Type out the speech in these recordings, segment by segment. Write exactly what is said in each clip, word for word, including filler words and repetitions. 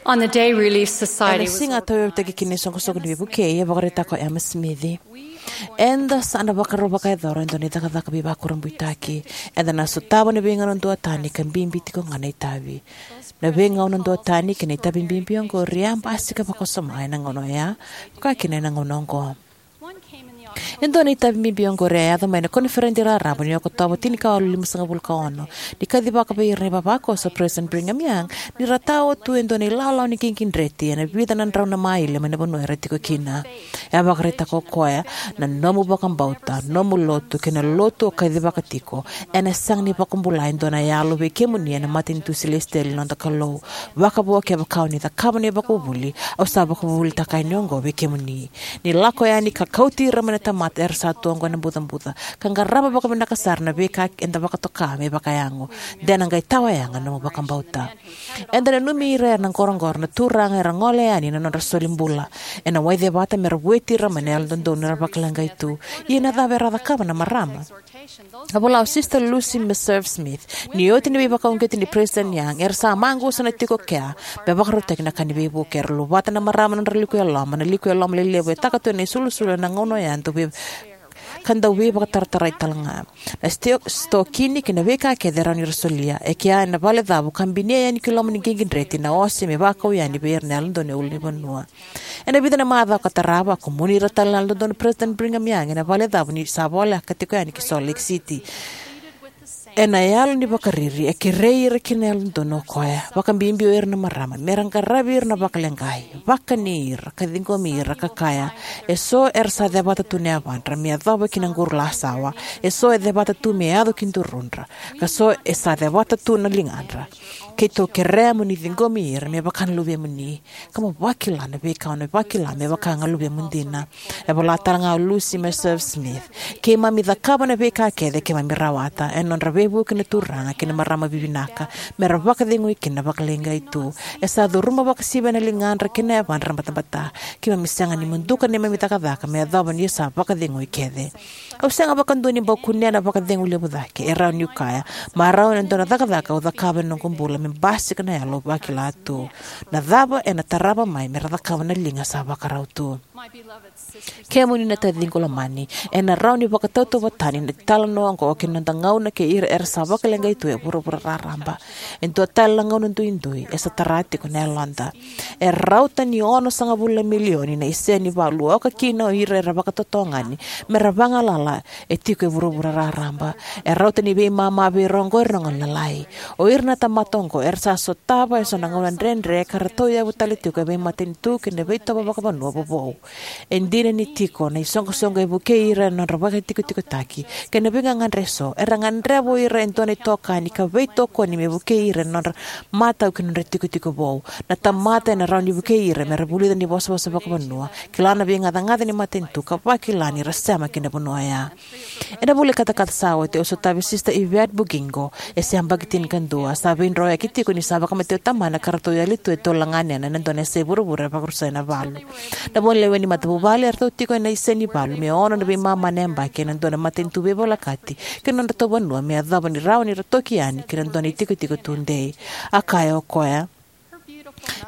On the day Relief Society Ena was siga a organized, tauyavutaki kina na iSoqosoqo ni Veivukei, e vakaraitaka o Emma Smith: "Eda sa na vakarau vakayacora e dua na icakacaka veivakurabuitaki. Eda na sotava na veigauna duatani, ka bibi tiko ga na itavi. Na veigauna duatani kei na itavi bibi oqori e a basika vakawasoma ena gauna oya, vaka kina ena gauna oqo." E dua na itavi bibi oqori e a yaco mai na koniferedi raraba ni Okotova tinikawalu limasagavulu ka ono, ni kacivaka vei ira na ivavakoso o President Brigham Young ni ra tawa tu e dua na ilawalawa ni qiqidreti ena vica na drau na maile mai na vanua era tiko kina. E a vakaraitaka o koya: "Na nomu vakabauta, nomu lotu, kei na lotu o kacivaka tiko, ena sega ni vakabula e dua na yalo vei kemuni ena matanitu silesitieli ni noda Kalou, vakavo kevaka o ni cakava na ivakavuvuli au sa vakavuvulitaka yani oqo vei kemuni." Ni lako yani ka kauti ira mai na tamata era sa tu oqo ena bucabuca, ka qarava vakavinaka sara na veika eda vakatoka me vakayago, de na qai tawa yaga na nomu vakabauta. Eda nanumi ira era na qoroqoro na Turaga era gole yani na nodra solibula ena waicevata me ra vueti ira mai na Yalododonu era vakaleqai tu. Ia na cava era a cakava na marama? A vola o Sister Lucy Meserve Smith: "Ni oti na veivakauqeti nei President Young, era sa maqusa na tiko kea me vakarautaki na ka ni veivuke. Era luvata na marama na nodra liku eloma, na liku eloma lelevu e taka tu ena isulusulu ena gauna oya, dau vei ka dau veivakataratarai tale ga. Na sto-, stokini kei na veika kece e rawa ni ra solia, e kea ena valecavu, ka binia yani ki loma ni qiqidreti na ose me vakau yani vei ira na Yalododonu e ulunivanua." Ena vica na macawa ka tarava, a kumuni ira tale na Yalododonu o President Brigham Young ena valecavu ni sa voleka tiko yani ki Salt Lake City. Ena yalo ni vakariri, e kerei ira kina na Yalododonu o koya, vakabibi o ira na marama, me ra qaravi ira na vakaleqai, vakani ira, ka ciqomi ira, ka kaya: "Eso era sa cevata tu na yavadra me yacova ki na quru lasawa, eso e cevata tu me yaco ki durudra, ka so e sa cevata tu na ligadra. Keitou kerea mo ni ciqomi ira me vaka na luvemuni, ka mo vakila na veika o na vakila me vaka ga luvemu dina." E vola tale ga o Lucy Meserve Smith: "Keimami cakava na veika kece keimami rawata ena nodra veivuke na turaga kei na marama vivinaka, me ra vakacegui kina na vakaleqai tu. E sa curuma vakasivia na ligadra kei na yavadra na batabata. Keimami sega ni muduka neimami cakacaka me yacova ni sa vakacegui kece." Au sega vakadua ni bau kunea na vakacegu levu cake, e rawa niu kaya, marau ena dua na cakacaka au cakava ena noqu bula me basika na yalo au vakila tu. Na cava ena tarava mai me ra cakava na liga sa vakarau tu? Kemuni na taciqu lomani, ena rawa ni vakatautauvatani na italanoa oqo kei na noda gauna kei ira era sa vakaleqai tu e vuravura raraba. E dua tale na gauna duidui, e sa tara tiko na yaloda. E rauta ni onosagavulu na milioni na isenivalu oka kina o ira era vakatotogani me ra vagalala e tiko e vuravura raraba. E rauta ni veimama vei ira oqo era na gone lalai. O ira na tamata oqo era sa sotava eso na gauna dredre ka ra tauyavu tale tiko e veimatanitu kei na veitovo vakavanua vovou. E dina ni tiko na isoqosoqo e vukei ira ena nodra vakatikotikotaki kei na veigagadre eso, era gadreva o ira e dua na itokani ka veitokoni me vukei ira ena nodra matau ki na nodra itikotiko vou. Na tamata ena rawa ni vukei ira me ra vulica na ivosavosa vakavanua, kila na veigacagaca ni matanitu, ka vakila ni ra sema ki na vanua oya. Ena vula ni katakata sa oti, au sotavi Sister Yvette Bugingo, e se yabaki tinikadua, sa veidroyaki tiko ni sa vakamatei o tamana ka ratou yali tu e tolu na ganena ena dua na yasai vuravura e vakarusai ena valu. Na vo ni lewe ni matavuvale eratou tiko ena isenivalu me ono na veimama na yabaki ena dua na matanitu veivolekati ki na nodratou vanua me yacova ni rawa ni ra toki yani ki na dua na itikotiko tudei. A kaya o koya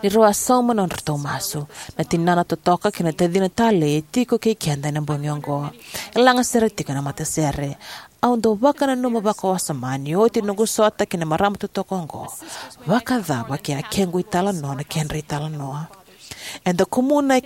ni rau a sauma na nodratou masu. Na tinana totoka kei na tacina talei e tiko kei keda ena bogi oqo. E lagasere tiko ena matasere. Au dau vakananuma vakawasoma ni oti noqu sota kei na marama totoka oqo, vakacava ke a kequ italanoa na kedra italanoa? Eda kumuna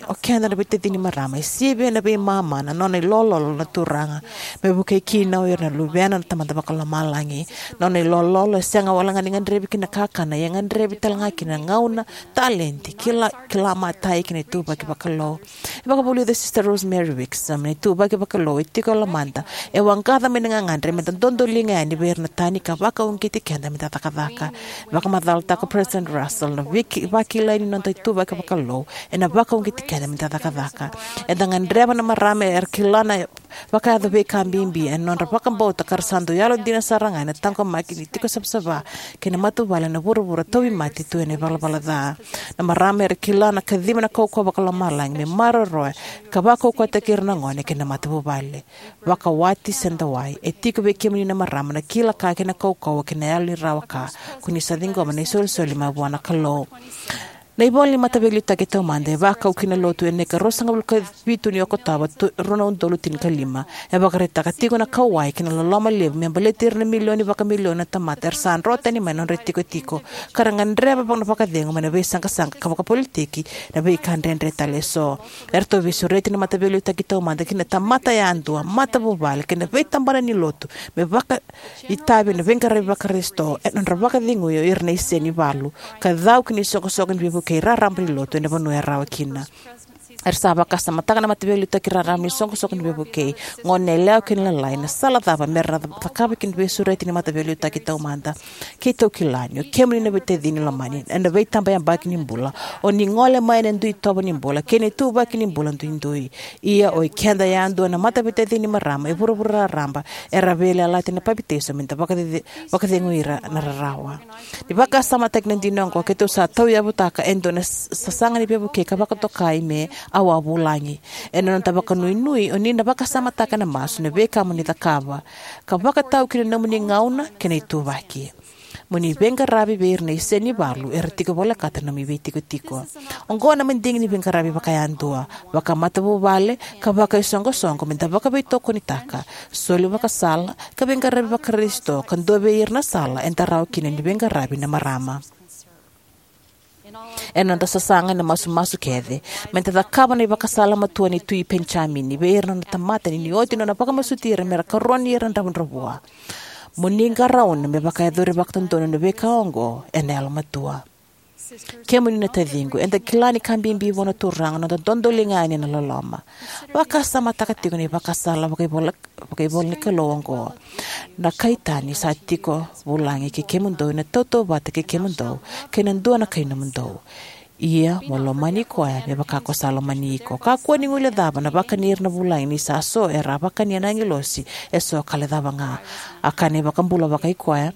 o keda na veitacini marama e sivia na veimama na nona ilololo na Turaga, me vukei kina o ira na luvena na Tamada Vakalomalagi. Na nona ilololo e sega wale ga ni gadrevi ki na kakana, ia e gadrevi tale ga ki na gauna, talenti, kila, kila matai ki na ituvaki vakalou. E vakavulica o Sister Rosemary Wixom, na ituvaki vakalou e tiko e lomada e waqaca mai na gagadre meda dodoliga yani vei ira na tani ka vakauqeti keda meda cakacaka. Vakamacalataka o President Russell, na viki-, vakilai ni noda ituvaki vakalou ena vakauqeti keda meda cakacaka. Eda gadreva na marama era kila na vakayaco veika bibi ena nodra vakabauta ka ra sa dau yalodina sara ga ena taqomaki ni tiko savasava kei na matavuvale ena vuravura tauvimate tu ena ivalavala ca. Na marama era kila na kaciva na kaukauwa vakalomalagi me maroroya ka vakaukauwataki ira na gone kei na matavuvale. Vakawati se dawai, e tiko vei kemuni na marama na kila ka kei na kaukauwa kei na yalo ni rawa ka ko ni sa ciqoma na isolisoli mai vua na Kalou. Na ivola ni Mataveiliutaki Taumada e vakau ki na Lotu ena ika ruasagavulu ka vitu ni Okotova, tu- rua na udolu tinikalima. E vakaraitaka tiko na kauwai kei na loloma levu me baleti ira na milioni vakamilioni na tamata era sa dro tani mai na nodra itikotiko ka ra gadreva vaka na vakacegu mai na veisaqasaqa ka vakapolitiki, na veika dredre tale eso. Eratou veisureti na Mataveiliutaki Taumada ki na tamata yadua, matavuvale kei na veitabana ni Lotu me vakaitavi ena veiqaravi Vakarisito ena nodra vakacegui o ira na isenivalu ka cau ki na isoqosoqo ni veivukei raraba ni Lotu ena vanua e rawa kina. Era sa vakasamataka na Mataveiliutaki Raraba ni Soqosoqo ni Veivukei, goneyalewa kei na lalai, na sala cava me ra cakava ki na veisureti ni Mataveiliutaki Taumada. Keitou kila ni o kemuni na veitacini lomani, ena veitabayabaki ni bula, o ni gole mai ena dui itovo ni bula kei na ituvaki ni bula duidui. Ia o ikeda yadua na mataveitacini marama e vuravura raraba era veiyalayalati ena papitaiso me da vakacece- vakacegui ira na rarawa. Ni vakasamataki na dina oqo, keitou sa tauyavutaka e dua na s- sasaga ni veivukei ka vakatokai me Au a Vulagi. Ena noda vakanuinui, o ni na vakasamataka ena masu na veika mo ni cakava ka vakatau ki na nomuni gauna kei na ituvaki. Mo ni veiqaravi vei ira na isenivalu era tiko volekata na nomu veitikotiko. Oqo na madigi ni veiqaravi vakayadua, vakamatavuvale ka vakaisoqosoqo me da vakaveitokonitaka, soli vakasala ka veiqaravi Vakarisito ka dua vei ira na sala eda rawa kina ni veiqaravi na marama. Ena noda sasaga ena masumasu kece, me da cakava na ivakasala matua ni Tui Penijamini vei ira na nona tamata ni ni oti nona vakamasuti ira me ra karoni ira na dravudravua. Mo ni qarauna me vakayacori vakadodonu na veika oqo ena yalomatua. Kemuni na taciqu, eda kila ni ka bibi vua na Turaga na noda dodoliga yani ena loloma. Vakasamataka tiko na ivakasala vakaivola vakaivola ni Kalou oqo: Na kai tani sa tiko vulagi kei kemudou ena tautauvata kei kemudou, kei na dua na kai nomudou. Ia mo lomani koya me vaka ko sa lomani iko. Kakua ni guilecava na vakani ira na vulagi, ni sa so era a vakania na agilosi, eso ka lecava ga. A kaya na iVakabula vakaikoya: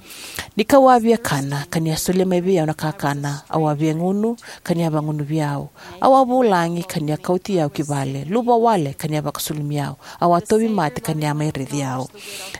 Ni kau a via kana, ka ni a solia mai vei au na kakana; au a via gunu, ka ni a vagunuvi au; au a vulagi, ka ni a kauti au ki vale; luva wale, ka ni a vakasulumi au; au a tauvimate, ka ni a mai raici au.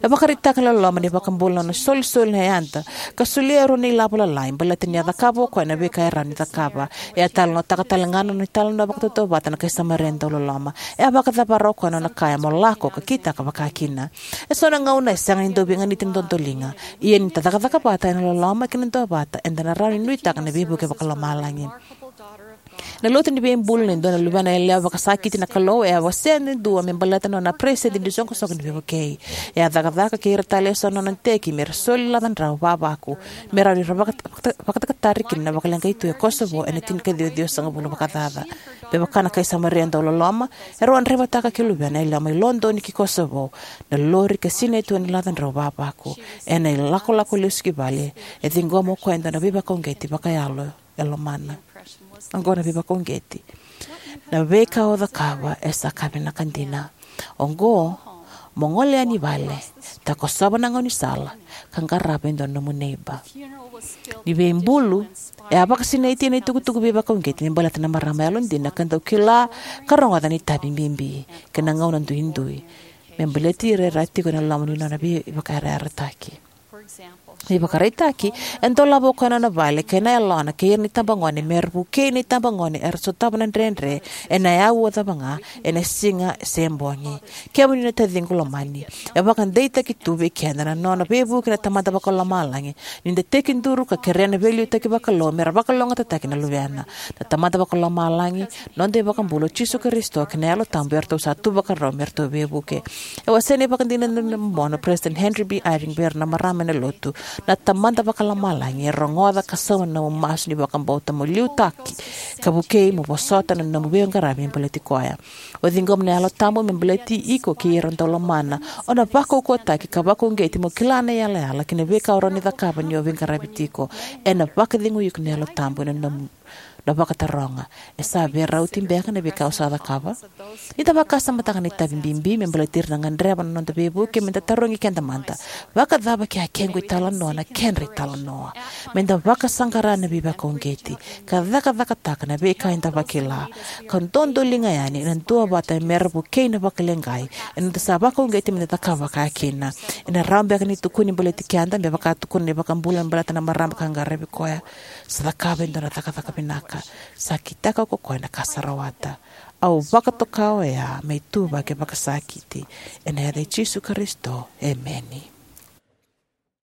E vakaraitaka na loloma ni iVakabula na nona isolisoli na yada ka solia e rua na ilavo lalai baleta ni a cakava o koya na veika e rawa ni cakava. E a talanoataka talega na nona italanoa vakatautauvata na kai Samaria dauloloma. E a vakacavara o koya na nona kaya mo lako ka kitaka vakakina. Eso na gauna e sega ni dau veiganiti na dodoliga. Ia ni da cakacaka vata ena loloma kei na duavata, eda na rawa ni nuitaka na veivuke vakalomalagi. Na lotu ni veibulu ni dua na luvena yalewa vakasakiti na Kalou e a wasea e dua me baleta na nona peresitedi ni iSoqosoqo ni Veivukei. E a cakacaka kei ira tale eso na nona iteki me ra soli laca drau vavaku me rawa ni ra vaka- vaka- vakatakatari kina na vakaleqai tu e Kosovo ena tinikaciwa ciwasagavulu vakacaca. Me vaka na kai Samaria dauloloma, erau a draivataka kei luvena yalewa mai Lodoni ki Kosovo na lori ka sinai tu ena laca drau vavaku. Ena ilakolako lesu ki vale, e ciqoma o koya e dua na veivakauqeti vakayalo e lomana. Oqo na veivakauqeti: Na veika o cakava e sa ka vinaka dina. Oqo, mo gole yani i vale, takosova na gaunisala, ka qarava e dua na nomu neiba. Ni veibulu, e a vakasinaiti ena itukutuku veivakauqeti me baleta na marama yalodina ka dau kila ka rogoca na itavi bibi kei na gauna duidui me baleti ira era tiko ena loma ni nona veivakayarayarataki. Me ivakaraitaki, e dolava o koya na nona vale kei na yalona kei ira na itabagone me ra vukei na itabagone era sotava na dredre ena auwa cava ga, ena siga se bogi. Kemuni na taciqu lomani, e vakadeitaki tu vei keda na nona veivuke na Tamada Vakalomalagi ni da tekiduru ka kerea na veiliutaki vakalou me ra vakalougatataki na luvena. Na Tamada Vakalomalagi, noda iVakabula o Jisu Karisito, kei na Yalo Tabu eratou sa tu vakarau me ratou veivuke. E wasea na ivakadinadina momona o Peresitedi Henry B. Eyring vei ira na marama ena Lotu: Na Tamada Vakalomalagi e rogoca ka sauma na nomu masu ni vakabauta mo liutaki ka vukei mo vosota na nomu veiqaravi me baleti koya. O ciqoma na Yalo Tabu me baleti iko kei ira o dau lomana. O na vakaukauwataki ka vakauqeti mo kila na iyalayala kei na veika o rawa ni cakava ni o veiqaravi tiko. Ena vakacegui iko na Yalo Tabu ena nomu na vakataroga: E sa veirauti beka na veika au sa cakava? Ni da vakasamataka na itavi bibi me baleti ira na gadreva na noda veivuke, me da tarogi keda mada: Vakacava ke a kequ italanoa na kedra italanoa? Me da vakasaqara na veivakauqeti ka cakacakataka na veika eda vakila, ka dodoliga yani ena duavata me ra vukei na vakaleqai eda sa vakauqeti me da cakava vakakina. Ena rawa beka ni tukuni baleti keda me vaka tukuna na iVakabula me baleta na marama ka qaravi koya: Sa cakava e dua na cakacaka vinaka, sa kitaka ko koya na ka sa rawata. Au vakatoka oya me ituvaki vakasakiti. Ena yaca i Jisu Karisito, emeni.